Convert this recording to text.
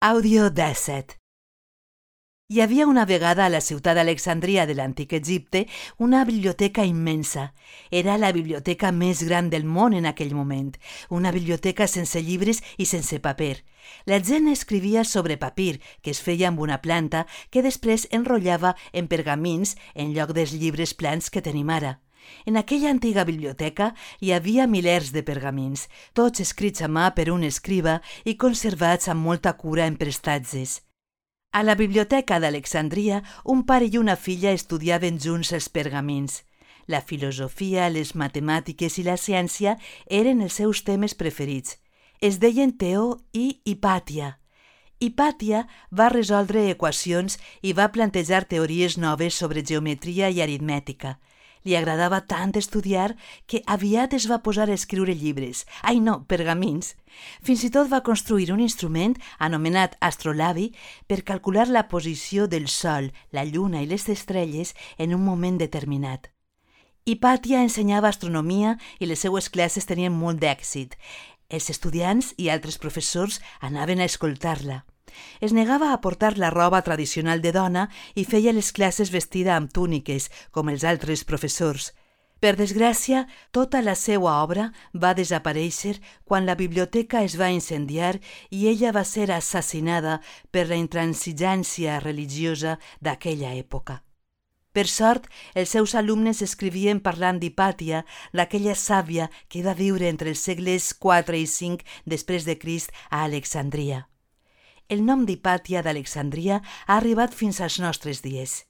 Àudio 17. Hi havia una vegada a la ciutat d'Alexandria de l'antic Egipte una biblioteca immensa. Era la biblioteca més gran del món en aquell moment, una biblioteca sense llibres i sense paper. La gent escrivia sobre papir, que es feia amb una planta que després enrotllava en pergamins en lloc dels llibres plans que tenim ara. En aquella antiga biblioteca hi havia milers de pergamins, tots escrits a mà per un escriba i conservats amb molta cura en prestatges. A la biblioteca d'Alexandria, un pare i una filla estudiaven junts els pergamins. La filosofia, les matemàtiques i la ciència eren els seus temes preferits. Es deien Teo i Hipàtia. Hipàtia va resoldre equacions i va plantejar teories noves sobre geometria i aritmètica. Li agradava tant estudiar que aviat es va posar a escriure llibres, pergamins. Fins i tot va construir un instrument anomenat astrolabi per calcular la posició del Sol, la Lluna i les estrelles en un moment determinat. Hipàtia ensenyava astronomia i les seues classes tenien molt d'èxit. Els estudiants i altres professors anaven a escoltar-la. Es negava a portar la roba tradicional de dona i feia les classes vestida amb túniques, com els altres professors. Per desgràcia, tota la seva obra va desaparèixer quan la biblioteca es va incendiar i ella va ser assassinada per la intransigència religiosa d'aquella època. Per sort, els seus alumnes escrivien parlant d'Hipàtia, d'aquella sàvia que va viure entre els segles IV i V després de Crist a Alexandria. El nom d'Hipàtia d'Alexandria ha arribat fins als nostres dies.